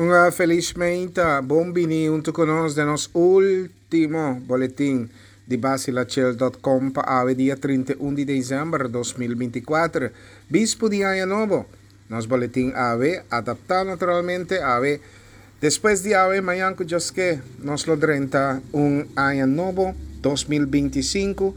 Un felis meinta, bon bini huntu ku nos den nos último boletin di Basilachel.com pa awe dia 31 di desèmber 2024, bispu di aña nobo. Nos boletin awe, adaptá naturalmente awe, despues di awe, mañan ku Dios ke, nos lo drenta un aña nobo, 2025,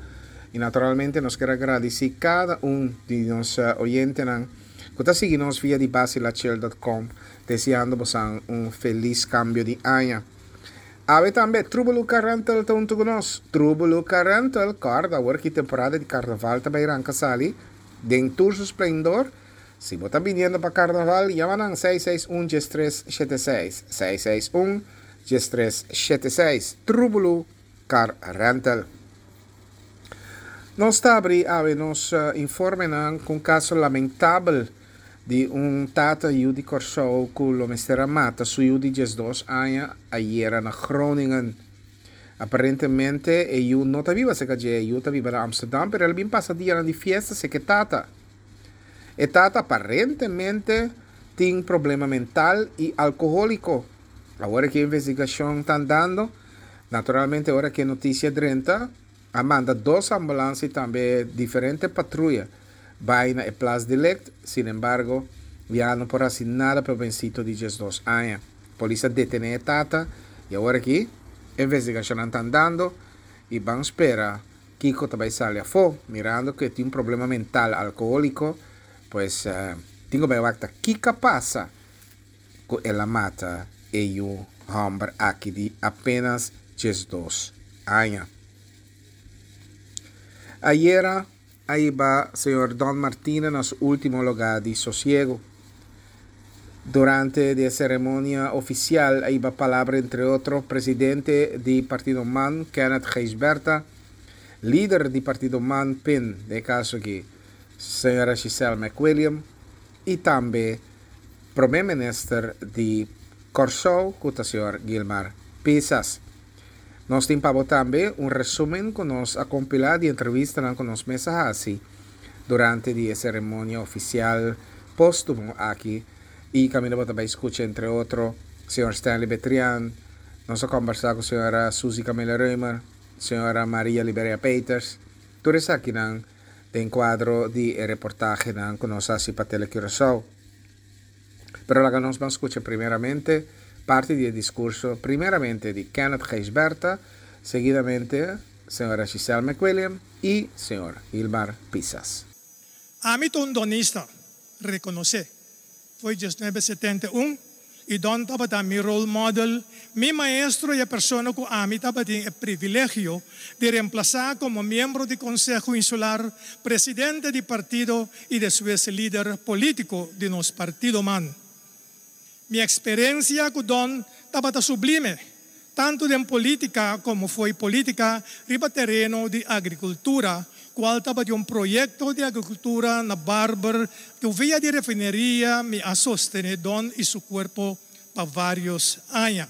i naturalmente nos ker a gradisí kada un di nos oyentenan ku ta sigui nos via di basilachel.com, deseando bosan un felis kambio di aña. Awe tambe Trubelu Car Rental ta huntu ku nos. Trubelu Car Rental, kòrda awor ki temporada di karnaval ta bai ranka sali den tur su splendor. Si bo ta biniendo pa karnaval, yama nan 661 1376, 661 1376, Trubelu Car Rental. Nos ta abri awe nos informenan ku un kaso lamentabel di un tata yu di Kòrsou ku lo mester a mata su yu di 12 aña ayera na Groningen. Aparentemente e yu no ta biba serka dje, e yu ta biba na Amsterdam pero el a bin pasa dianan di fiesta serka e tata. E tata aparentemente tin problema mental i alkohóliko. Awor ku e investigashon ta andando, naturalmente ora ku e notisia drenta, a manda dos ambulans i tambe diferente patruya bai na e plas delict, sinembargo ya no por hasi nada pa e hobencito di 12 aña. Polis a detene e tata i awor aki e investigashonnan ta andando i ban spera kiko ta bai sali afó, mirando ku e tin un problema mental alkohóliko, pues tin ku bai wak ta kiko a pasa ku el a mata e yu hòmber aki di apenas 12 aña. Ayera a hiba señor Don Martina na su último lugá di sosiego. Durante di e seremonia ofisial a hiba palabra entre otro presidente di partido man Kenneth Gijsbertha, lider di partido man pin den e kaso aki señora Giselle McWilliam i tambe prome minister di Kòrsou ku ta señor Gilmar Pisas. Nos tin pa bo tambe un resumen ku nos a kompilá di entrevistanan ku nos mes a hasi durante di e seremonia ofisial póstumo aki i kaminda bo ta bai skucha entre otro señor Stanley Betrian, nos a kòmbersá ku señora Suzy Camilla Römer, señora Maria Liberia Peters, tur esakinan den kuadro di e reportahenan ku nos a hasi pa Tele Curaçao. Pero laga nos ban skucha primeramente parti di e diskurso primeramente di Kenneth Gijsbertha, seguidamente señora Giselle McWilliam i señor Gilmar Pisas. Ami ta un donista rekonosé. Foi 1971 i Don tabata mi role model, mi maestro i e persona ku ami tabatin e privilegio di remplasá komo miembro di Konseho Insular, presidente di partido i despues lider polítiko di nos partido man. Mi eksperensia ku Don tabata sublime, tantu den polítika komo fo'i polítika riba tereno di agrikultura, kual tabatin un proyekto di agrikultura na Barber ku via di refineria mi a sostené Don i su kuerpo pa vários aña.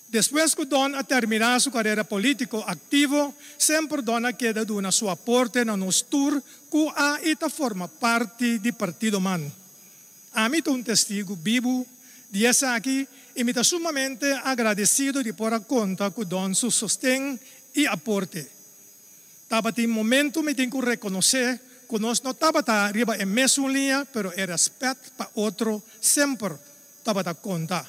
Despues ku Don a terminá su karera polítiko aktivo, semper Don a keda duna su aporte na nos tur ku a i ta forma parti di Partido man. Ami ta un testigu bibu di esaki i mi ta sumamente agradesido di por a konta ku Don su sosten i aporte. Tabatin momentu mi tin ku rekonosé ku nos no tabata riba e mesun liña pero e rèspèt pa otro semper tabata konta.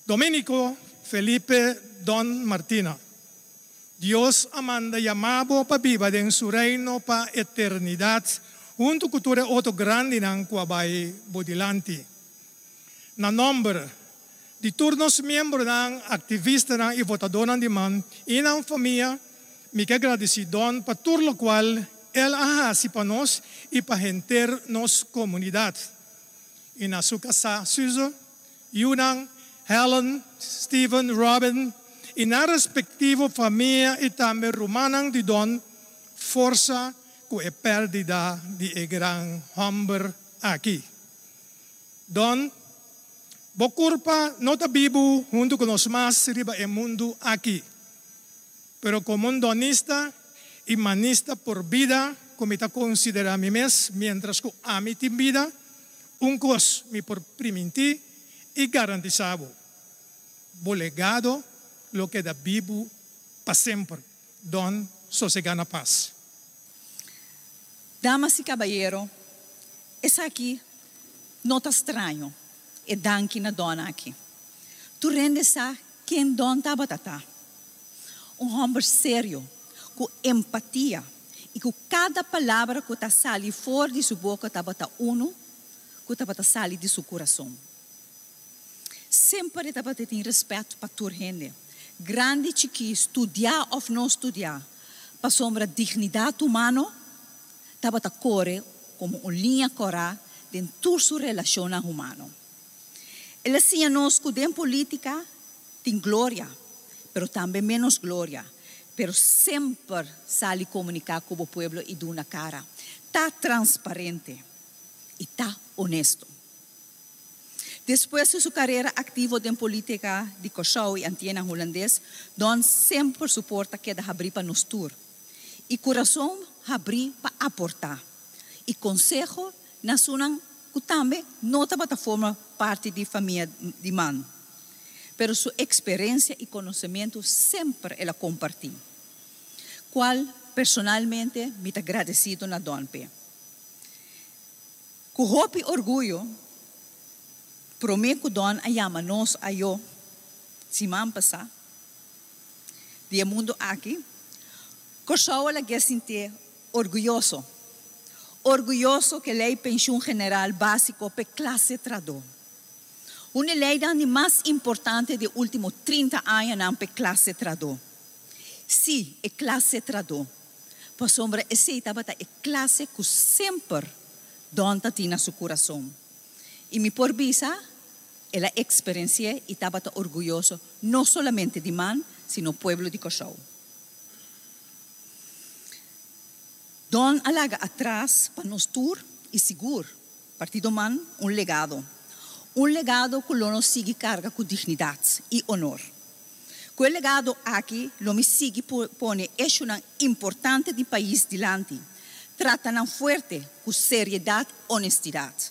Domenico Felipe Don Martina, Dios a manda yama bo pa biba den su Reino pa eternidat huntu ku tur e otro grandinan ku a bai bo dilanti. Na nòmber di tur nos miembronan, aktivistanan i votadónan di man i nan famia, mi ke gradisí Don pa tur lokual el a hasi pa nos i pa henter nos komunidat. I na su kasá Suze, yunan Helen, Steven, Robin i nan respektivo famia i tambe rumannan di Don, forsa ku e pèrdida di e gran hòmber aki. Don, bo kurpa no ta bibu huntu ku nos mas riba e mundu aki. Pero komo un donista i manista por bida ku mi ta konsiderá mi mes miéntras ku ami tin bida, un kos mi por primintí. i garantisá bo. Bo legado lo keda bibu pa semper. Don sosegá na pas. Damas i kabayero, esaki no ta straño, e danki na Don aki. Tur hende sa ken Don tabata ta. Un hòmber serio, ku empatia i ku kada palabra ku ta sali for di su boka tabata unu ku tabata sali di su kurason. Semper e tabata tin rèspèt pa tur hende, grandi, chikí, studiá òf no studiá, pasobra dignidat humano tabata kore komo un liña kòrá den tur su relashonnan humano. El a siña nos ku den polítika tin gloria, pero tambe ménos gloria, pero semper sali komuniká ku bo pueblo i duna kara. Ta transparente i ta honesto. Despues di su karera aktivo den polítika di Kòrsou i Antianan Hulandes, Don semper su porta keda habrí pa nos tur i kurason habrí pa aportá i konseho na esunnan ku tambe no tabata forma parti di famia di man, pero su eksperensia i konosementu semper el a kompartí, kual personalmente mi ta gradesido na Don p'e. Ku hopi orguyo, promé ku Don a yama nos ayó siman pasá di e mundu aki, Kòrsou a lag'é sintié orguyoso. Orguyoso ku e lei penshun general básiko p'e klase trahadó. Un e leinan di mas importante di e último 30 añanan p'e klase trahadó. Sí, e klase trahadó. Pasobra esei tabata e klase ku semper Don ta tin na su kurason. I mi por bisa, el a eksperensi'é i tabata orguyoso no solamente di man, sino pueblo di Kòrsou. Don a laga atras pa nos tur i sigur Partido man un legado. Un legado ku lo nos sigui karga ku dignidat i onor. Ku e legado aki lo mi sigui pone eshunan importante di pais dilanti, trata nan fuerte ku seriedat honestidat,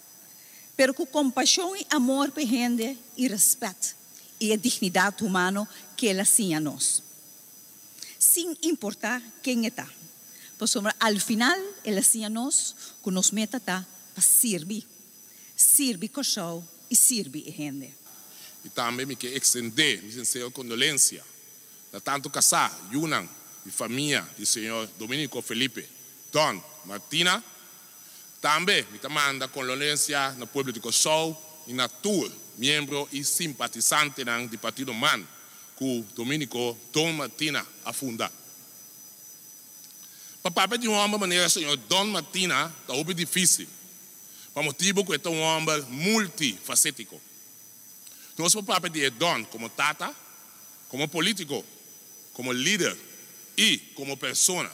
pero ku kompashon i amor p'e hende i rèspèt i e dignidat humano k'el a siña nos. Sin importá ken e ta. Pasobra al final el a siña nos ku nos meta ta pa sirbi, sirbi Kòrsou i sirbi e hende. I tambe mi ke ekstendé mi sinsero kondolensia na tantu kasá, yunan i famia di señor Dominico Felipe Don Martina. Tambe mi ta manda kondolensia na pueblo di Kòrsou i na tur miembro i simpatisantenan di Partido man ku Dominico Don Martina a funda. Pa papia di un hòmber manera señor Don Martina ta hopi difísil, pa motibu ku e ta un hòmber multifasétiko. Nos por papia di e Don komo tata, komo polítiko, komo lider i komo persona.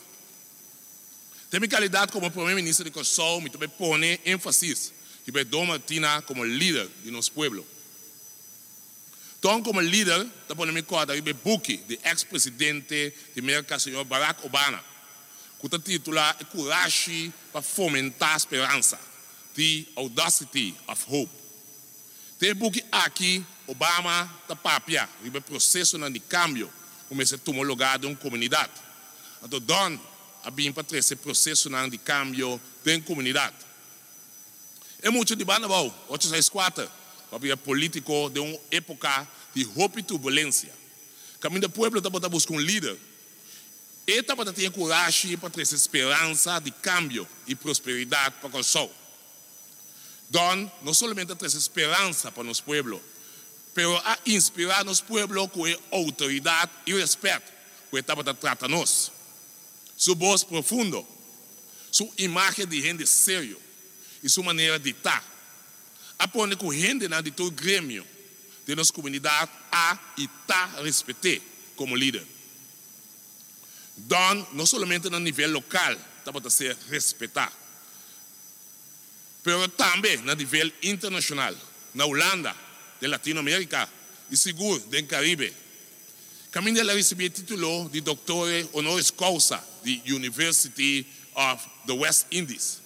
Den mi kalidat komo Prome Minister di Kòrsou mi ta bai pone énfasis riba e Don Martina komo lider di nos pueblo. Ton komo lider ta pone mi kòrda riba e buki di eks presidente di Merka señor Barack Obana ku ta titulá E kurashi pa fomentá speransa, The Audacity of Hope. Den e buki aki Obama ta papia riba e prosesonan di kambio ku mester tuma lugá den un komunidat. Anto Don a bin pa trese prosesonan di kambio den komunidat. E mucha di banda abou, ocho seis kuater, ku a bira polítiko den un époka di hopi turbulensia, kaminda pueblo tabata buska un lider. E tabata tin e kurashi pa trese speransa di kambio i prosperidat pa Kòrsou. Don no solamente a trese speransa pa nos pueblo, pero a inspirá nos pueblo ku e outoridat i rèspèt ku e tabata trata nos. Su bos profundo, su imágen di hende serio i su manera di ta a pone ku hendenan di tur gremio den nos komunidat a i ta respet'é komo lider. Don no solamente na nivel lokal tabata ser respetá, pero tambe na nivel internashonal, na Hulanda, den Latino Amerika i sigur den Karibe. Kaminda el a risibí e título di Doctore Honoris Causa di University of the West Indies.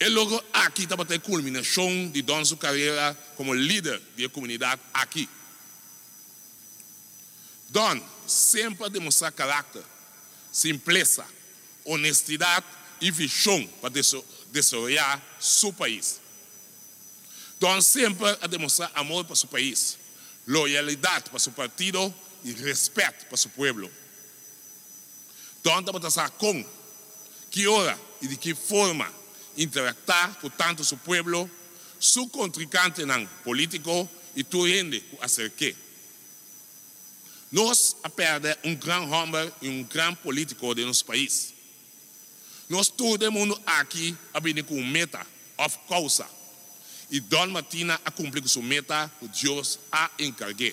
E logro aki tabata e kulminashon di Don su karera komo lider di e komunidat aki. Don semper a demostrá karakter, simplesa, honestidat i vishon pa desaroyá su pais. Don semper a demostrá amor pa su pais, loyalidat pa su partido i rèspèt pa su pueblo. Don tabata sa kon, ki ora i di ki forma interaktá ku tantu su pueblo, su kontrinkantenan polítiko i tur hende ku aserk'é. Nos a pèrdè un gran hòmber i un gran polítiko den nos pais. Nos tur den mundu aki a bini ku un meta òf kousa, i Don Martina a kumpli ku su meta ku Dios a enkarg'é.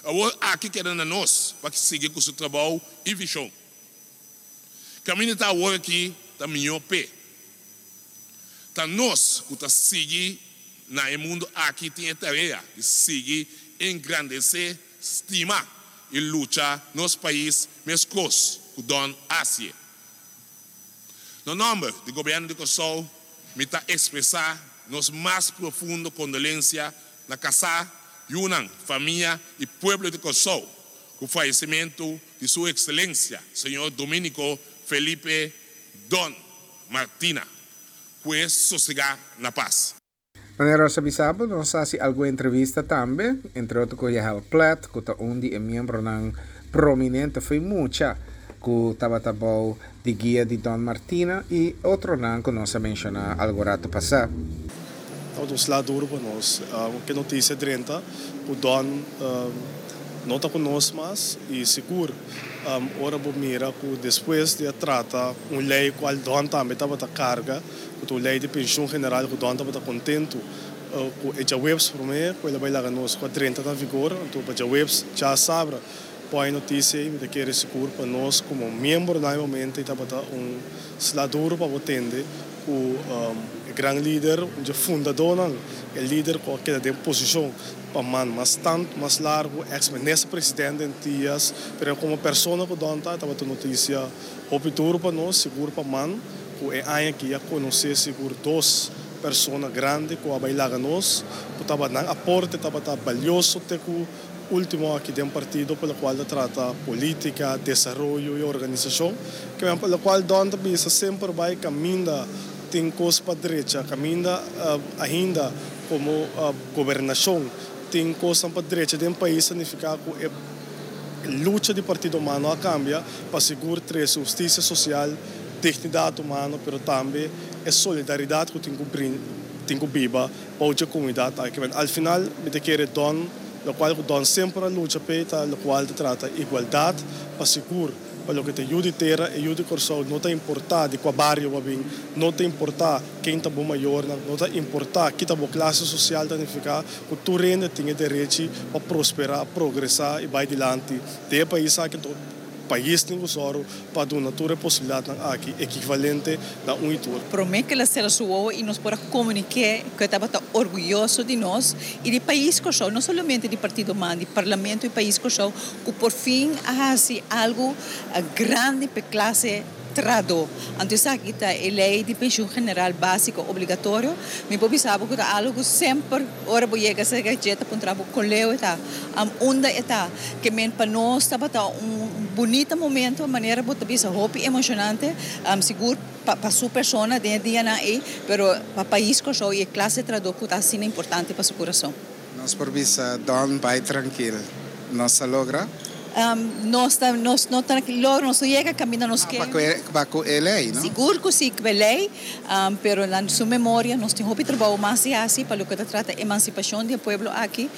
Awor aki keda na nos pa sigui ku su trabou i vishon. Kaminda ta awor aki ta mihó p'e. Ta nos ku ta sigui na e mundu aki tin e tarea di sigui engrandesé, stima i lucha nos pais meskos ku Don Asie. Na nòmber di Gobièrnu di Kòrsou mi ta ekspresá nos mas profundo kondolensia na kasá, yunan, famia i pueblo di Kòrsou ku fayesimentu di Su Ekselensia Señor Dominico Felipe Don Martina. Ku e sosegá na pas. Manera nos a bisa bo, nos a hasi algun entrevista tambe, entre otro ku Yahel Plet, ku ta un di e miembronan prominente fo'i mucha ku tabata bou di guia di Don Martina i otronan ku nos a menshoná algun ratu pasá. Tabata un sla duru pa nos. Ke notisia drenta ku Don no ta ku nos mas i sigur ora bo mira ku despues di a trata un lei kual Don tambe tabata karga, ku ta un lei di penshun general ku Don tabata kontentu ku e djaweps promé ku el a bai laga nos ku a drenta na vigor, anto pa djaweps djasabra Por e notisia ei mi ta kere sigur pa nos komo miembro na e momento ei tabata un sla duro pa bo tende ku e gran lider, un dje fundadónan, e lider ku a keda den posishon pa man mas tantu, mas largu, eks minister presidente Antillas, pero komo persona ku Don ta, tabata un notisia hopi duro pa nos, sigur pa man ku e aña aki a konosé sigur dos persona grandi ku a bai laga nos, ku tabata nan aporte tabata balioso te ku. Ultimo aki den partido pa locual ta trata politica, desaroyo y organisacion, ke men pa locual Don ta bisa semper bay caminda tin cos pa drecha, caminda ainda como gobernacion tin cosnan pa drecha den pais ta nifica cu e lucha di partido humano a cambia pa sigur trece husticia social, dignidad humano pero tambe e solidaridad cu tin cu tin cu biba bou dje comunidad aki. Al final mi ta kere Don. Lokual ku Don semper a lucha p'e ta lokual ta trata igualdat pa sigur pa loke ta yu di tera e yu di Kòrsou no ta importá di kua bario bo a bin, no ta importá ken ta bo mayornan, no ta importá ki ta bo klase sosial ta nifiká ku tur hende tin e derechi pa prosperá, progresá i bai dilanti den e pais aki. Pais tin ku sòru pa duna tur e posibilidatnan aki ekivalente na un i tur. Promé ku el a sera su wowo i nos por a komuniké ku e tabata orguyoso di nos i di pais Kòrsou, no solamente di Partido man, di Parlamento i pais Kòrsou, ku por fin a hasi algu grandi pa e klase trahadó. Anto esaki ta e lei di penshun general básiko obligatorio. Mi por bisa bo ku ta algu ku semper ora bo yega serka dje ta puntra bo kon leu e ta, unda e ta. Ke men pa nos tabata un bunita momento, manera bo ta bisa hopi emoshonante, sigur pa su persona den e dianan ei, pero pa pais Kòrsou i e klase trahadó ku ta asina importante pa su kurason. Nos por bisa Don bai trankil, nos a logra? Nos ta, nos no ta logra, nos no yega kaminda nos ke. Pa ku e lei, no? Sigur ku si, ku e lei, pero na su memoria nos tin hopi trabou mas di hasi pa loke ta trata emansipashon di e pueblo aki,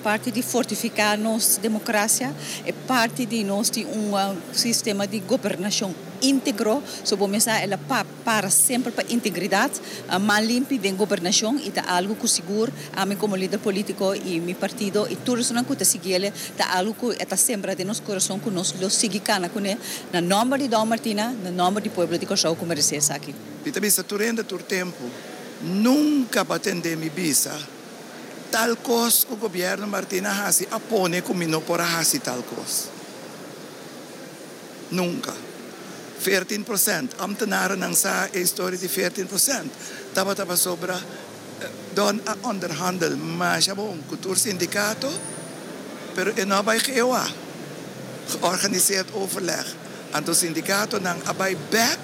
parti di fortifiká nos demokrasia, e parti di nos tin un sistema di gobernashon íntegro, so bo mester a el a pa. Para semper pa integridat, man limpi den gobernashon i ta algu ku sigur ami komo lider politiko i mi partido i tur esunnan ku ta siguiele ta algu ku e ta sembra den nos kurason ku nos lo sigui kana kuné na nòmber di Don Martina, na nòmber di pueblo di Kòrsou ku meresé esaki. Mi ta bisa tur hende tur tempu, nunka bo a tende mi bisa tal kos ku gobièrnu Martina a hasi a pone ku mi no por a hasi tal kos. Nunka. 14%. Ambtenarennan sa e historia di 14%. Tabata pasobra Don a onderhandel masha bon ku tur sindikato, pero e no a bai GOA, Georganiseerd Overleg. Anto sindikatonan a bai bek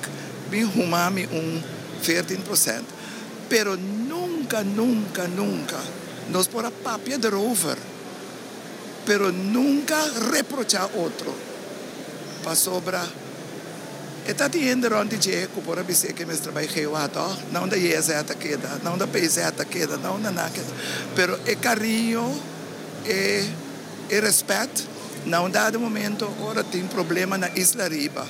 bin huma mi un 14%. Pero nunka, nunka, nunka nos por a papia derover, pero nunka reprochá otro, pasobra e ta tin hende rònt di dje ku por a bis'é ke mester bai GOA tòg, na unda JZ a keda, na unda PZ a keda, na unda nan a keda. Pero e kariño, e e rèspèt, na un dado momento ora tin problema na Isla Riba,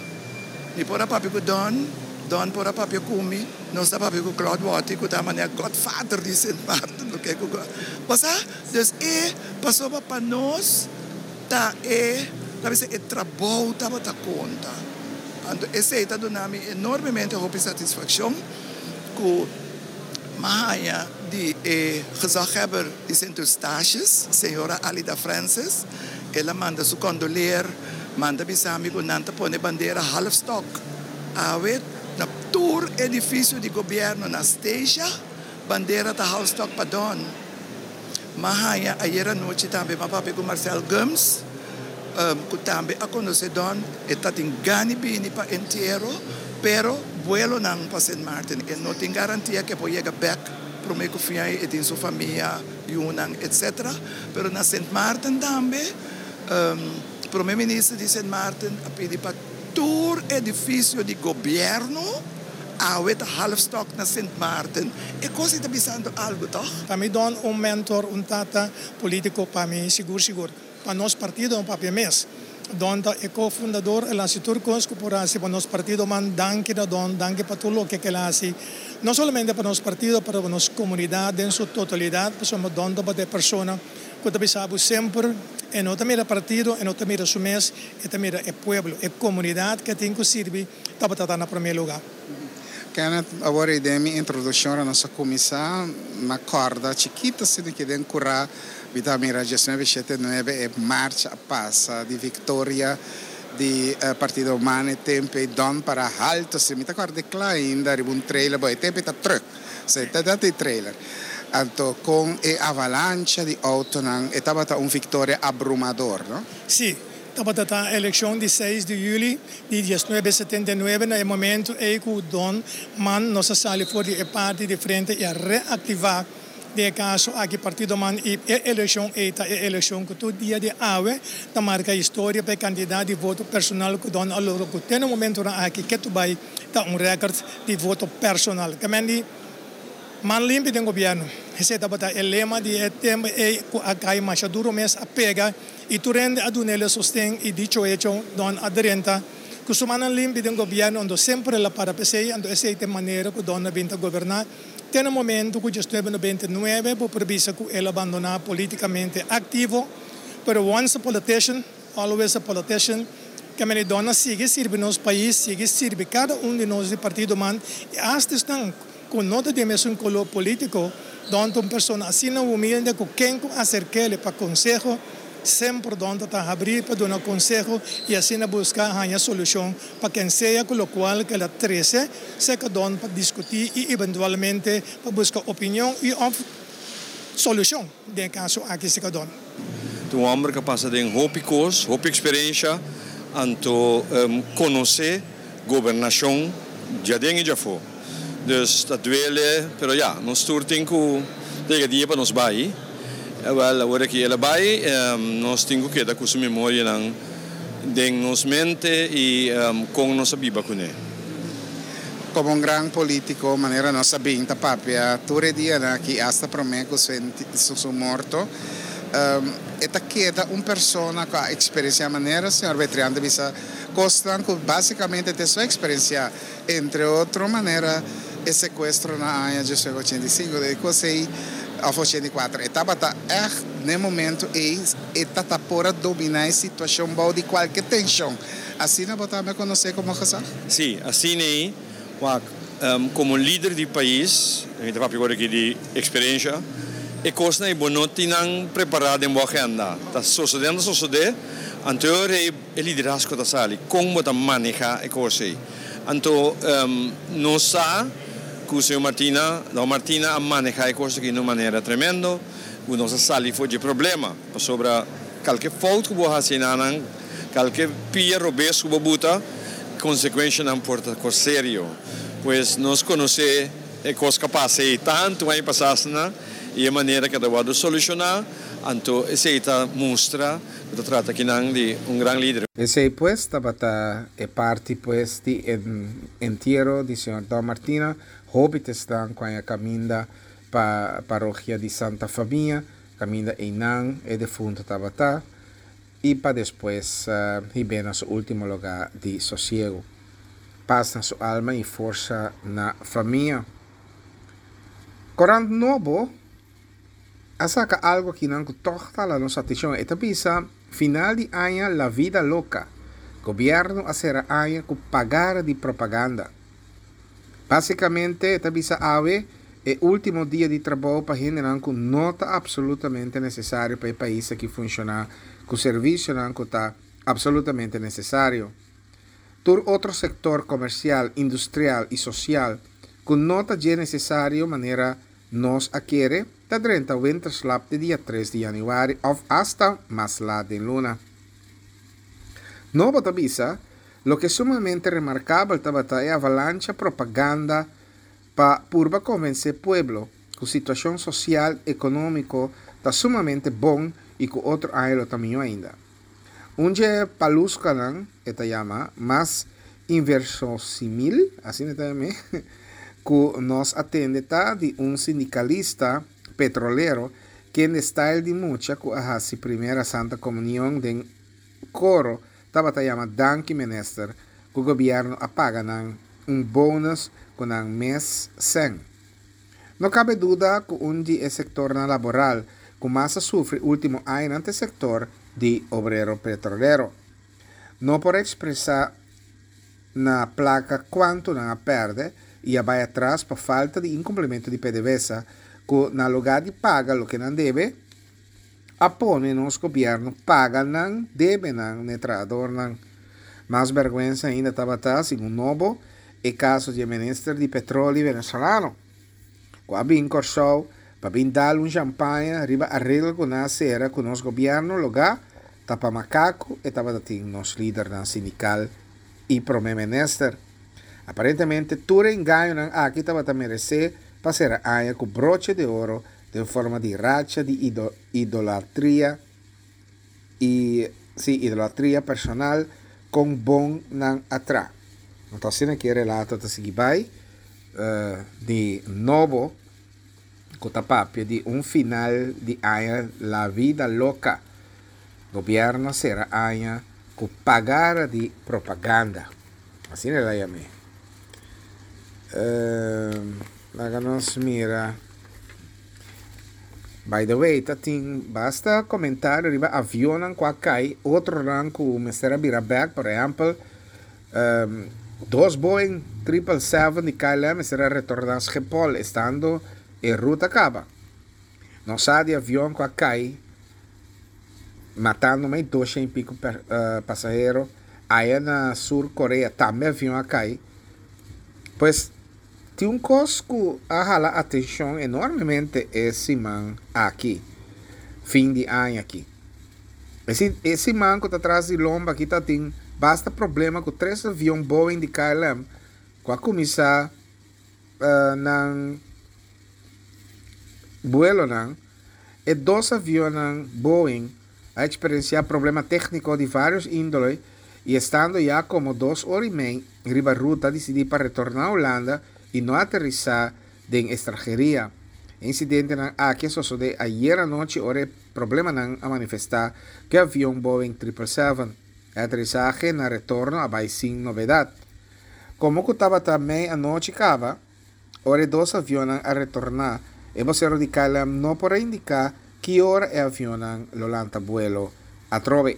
mi por a papia ku Don, Don por a papia ku mi. Nos ta papia ku Claude Watty ku ta manera godfather di Sint Maarten loke ku bo sa dus e pasobra pa nos ta e ta bisa e trabou tabata konta anto esei ta duna mi enormemente hopi satisfakshon ku mi a haña di e gezaghebber di Sint Eustatius señora Alida Francis el a manda su kondoleer manda bisa mi ku nan ta pone bandera halfstok awe. Na tur edifisio di gobièrnu na Statia, bandera ta halfstok pa Don. M'a haña ayera nochi tambe m'a papia ku Marcel Gumbs, ku tambe a konosé Don. E ta tin gana bini pa entiero, pero buelonan pa Sint Maarten e no tin garantia ku e por yega bèk promé ku fin ai. E tin su famia, yunan, etcetera. Pero na Sint Maarten tambe, Prome Minister di Sint Maarten a pidi pa. Tur edifisio di gobièrnu awe ta halfstok na Sint Maarten. E kos ei ta bisando algu, tòg? Pa mi Don un mentor, un tata politico pa mi sigur sigur. Pa nos partido no papia mes. Don ta e co-fundador, el hasi tur cos cu por hasi pa nos partido man danki na Don, danki pa tur loke cu el hasi no solamente pa nos partido pero pa nos comunidad den su totalidad pasobra Don tabata e persona cu ta bisa bo semper e no ta mira partido, e no ta mira su mes, E ta mira e pueblo, e comunidad ke tin cu sirbi tabata ta na prome lugar. Kenneth, awor ei den mi introduccion ora nos a cuminsa, mi a corda chikito asina ki den cura mi ta mira diesnuebe shete nuebe e marcha a pasa di victoria di partido man e tempo ei Don para halto asina mi ta corda e cla ainda riba un trailer bo e tempo ei ta truck so ta ta trailer anto con e avalancha di autonan e tabata un victoria abrumador no. Si, tabata ta elekshon di seis di yüli di diesnuebe setenta i nuebe na e momentu ei ku Don Man nos a sali for di e parti di frente i a reaktivá den e kaso aki Partido Man i e elekshon ei ta e elekshon ku tur dia di awe ta marka historia pa e kantidat di voto personal ku Don a logra ku te na momentunan aki ketu bai ta un rèkòrt di voto personal. Kamendi. Man limpi den gobièrnu. Esei tabata e lema di e tempu ei ku a kai masha duru mes a pega i tur hende a dun'el e sosten i dicho hecho Don a drenta ku su mannan limpi den gobièrnu anto semper el a para p'esei anto esei ta e manera ku Don a bin ta goberná te na momentu ku diesnuebe nobenta i nuebe bo por bisa ku el a bandoná politikamente aktivo pero once a politician always a politician ke mene Don a sigui sirbi nos pais sigui sirbi kada un di nos di partido man i asta esnan ku no ta di e mesun koló polítiko, Don ta un persona asina humilde ku ken ku aserk'el pa konseho, semper Don ta ta habrí pa duna konseho i asina buska haña solushon pa ken sea ku lokual ku el a trese serka Don pa diskutí i eventualmente pa buska opinion i òf solushon den e kaso aki serka Don. Ta un hòmber ku a pasa den hopi kos, hopi eksperensia, anto konosé gobernashon djaden i djafó. Dus ta duele, pero ya, nos tur tin ku yega dia pa nos bai. Wèl, awor aki el a bai, nos tin ku keda ku su memorianan den nos mente i kon nos a biba kuné. Komo un gran polítiko, manera nos a bin ta papia tur e dianan aki, asta promé ku su morto, e ta keda un persona ku a eksperensiá manera señor Betrian ta bisa kosnan ku básikamente ta e su eksperensiá. Entre otro manera e secuestro na aña diesnuebe ochenta i sinku de cos ey of ochenta i kuater e tabata echt n'e momento ey e ta ta por a domina e situacion bou di cualke tension. Asina bo tambe a conoce como gezag? Sí, asina ey. Wak, como lider di pais, mi ta papia awor aki di experiencia, e cosnan ey bo no tin nan prepara den bo agenda. Ta sosode, ta sosode. Anto e ora ei e liderazgo ta sali, kon bo ta maneha e kos ei. Anto nos sa ku señor Martina, Don Martina a maneha e kos aki na un manera tremendo, ku nos a sali for dje problema, pasobra kalke fout ku bo hasi enanan, kalke pia robes ku bo buta, konsekuenshanan por ta kos serio. Pues nos konosé e kos ku a pasa ei tantu aña pasá asina i e manera ku a ta wòrdu solushoná, anto esei ta mustra ku ta trata akinan di un gran lider. Esei pues tabata e parti pues di e entiero di señor Don Martina, hopi ta esnan ku aña kaminda pa parokia di Santa Famia, kaminda einan e defunto tabata, i pa despues hib'é na su último lugá di sosiegu. Pas na su alma i forsa na famia. Korant Nobo a saka algu akinan ku tòg ta hala nos atenshon. E ta bisa, Final di aña la vida loca. Gobièrnu a sera aña ku pagara di propaganda. Básikamente e ta bisa awe e último dia di trabou pa hendenan ku no ta apsolutamente nesesario pa e pais aki funshoná ku servisionan ku ta apsolutamente nesesario. Tur otro sektor komersial, industrial i sosial ku no ta dje nesesario manera nos a kere ta drenta winterslaap te dia tres di yanüari òf asta mas lat den luna. Nobo ta bisa Loke sumamente remarkabel tabata e avalancha propaganda pa purba konvensé pueblo ku situashon sosial ekonómiko ta sumamente bon i ku otro aña lo ta mihó ainda. Un dje paluskanan, e ta yama, mas inversosimil, asina e ta yam'é, ku nos a tende ta di un sindikalista petrolero kende style di mucha ku a hasi primera Santa Komunion den koro tabata yama danki minister ku gobierno a paga nan un bonus ku nan mes sèn. No kabe duda ku un di e sektornan laboral ku mas a sufri ultimo añanan ta e sektor di obrero petrolero. No por ekspresá na plaka kuantu nan a pèrdè i a bai atras pa falta di inkumplimentu di PDVSA ku na lugá di paga loke nan debe, a pone nos gobierno paga nan debenan n'e trahadornan. Mas berguensa ainda tabata, segun Nobo, e caso di e minister di petroli venezolano, cu a bin Corsou pa bin dal un champaña riba areglo cu nan a cera cu nos gobierno loga ta pa macaco e tabata tin nos lidernan sindical y prome minister. Aparentemente tur e engañonan aki tabata merece pa cera aña cu broche de oro den forma di racha di idolatria i, sí, idolatria personal kon bon nan a tra. Anto asina ki e relato ta sigui bai di nobo ku ta papia di un final di aña la vida loca. Gobierno a sera aña ku pagara di propaganda. Asina el a yam'é. Laga nos mira. By the way, ta tin basta comentario riba avionnan cu a cay, otronan cu mester a bira bek. Por ehempel, dos Boeing triple seven di KLM mester a retorna Schiphol estando e ruta caba. Nos sa di avion cu a cay matando mei doshen y pico pasahero. Aya na Sur Korea tambe avion a cay. Pues, Tin un kos ku a hala atenshon enormemente e siman aki, fin di aña aki. E siman ku ta tras di lomba aki ta tin basta problema ku tres avion Boeing di KLM ku a kuminsá nan buelonan. E dos avionnan Boeing a eksperensiá problema tékniko di vários índole i estando ya komo dos ora i mei riba ruta disidí pa retorná Hulanda i no aterisá den estranheria. E insidentenan aki a sosodé ayer anochi ora e problemanan a manifestá ku e avion Boeing triple seven. E aterisahe na retorno a bai sin novedat. Komo ku tabata mei anochi kaba, Ora e dos avionnan a retorná, e bosero di KLM no por a indiká ki ora e avionnan lo lanta buelo atrobe.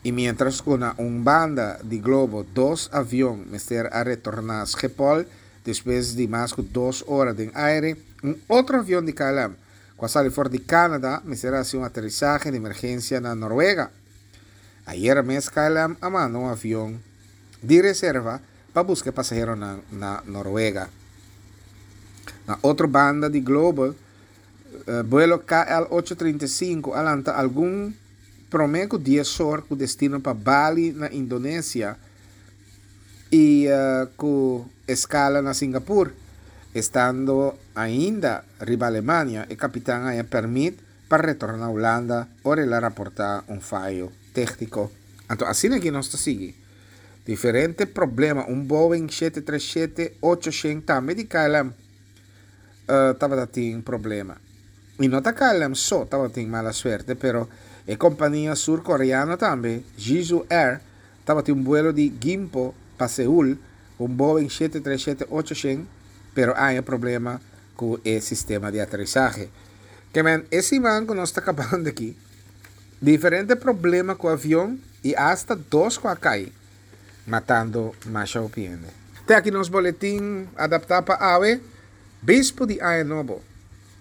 I miéntras ku na un banda di globo dos avion mester a retorná Schiphol despues di mas ku dos ora den aire, un otro avion di KLM ku a sali for di Canada mester a hasi un aterisahe di emergensia na Noruega. Ayera mes KLM a manda un avion di reserva pa buska e pasaheronan na Noruega. Na otro banda di globo, buelo KL 835 a lanta algun promé ku dies or ku destino pa Bali na Indonesia i ku eskala na Singapur. Estando ainda riba Alemania, e kapitan a haña pèrmit pa retorná Hulanda ora el a raportá un fayo tékniko. Anto asina aki nos ta sigui. Diferente problema, un Boeing 737-800 tambe di KLM tabata tin problema. I no ta KLM so tabatin mala suerte, pero e kompania surkoreano tambe, Jeju Air, tabatin un buelo di Gimpo pa Seul, un Boeing 737-800, pero a haña problema ku e sistema di aterisahe. Ke men, e siman ku nos ta kabando aki, diferente problema ku avion i asta dos ku a kai, matando masha hopi hende. Te aki nos boletin adaptá pa awe, Bispu di Aña Nobo.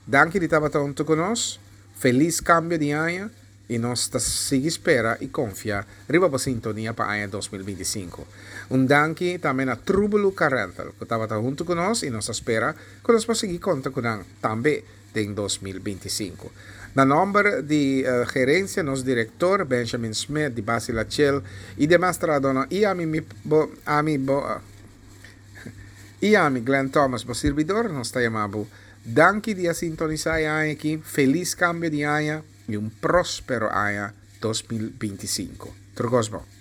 Danki di tabata huntu ku nos. Felis kambio di aña i nos ta sigui spera i konfia riba bo sintonia pa aña 2025. Un danki tambe na Trubelu Car Rental ku tabata huntu ku nos i nos ta spera ku nos por sigui konta ku nan tambe den 2025. Na nòmber di gerensia nos direktor Benjamin Smith di Basi Lachel i demas trahadónan i ami mi bo ami bo i ami Glenn Thomas bo sirbidor nos ta yama bo danki di a sintonisá e aña aki. Felis kambio di aña i un próspero aña 2025. Tur kos bon.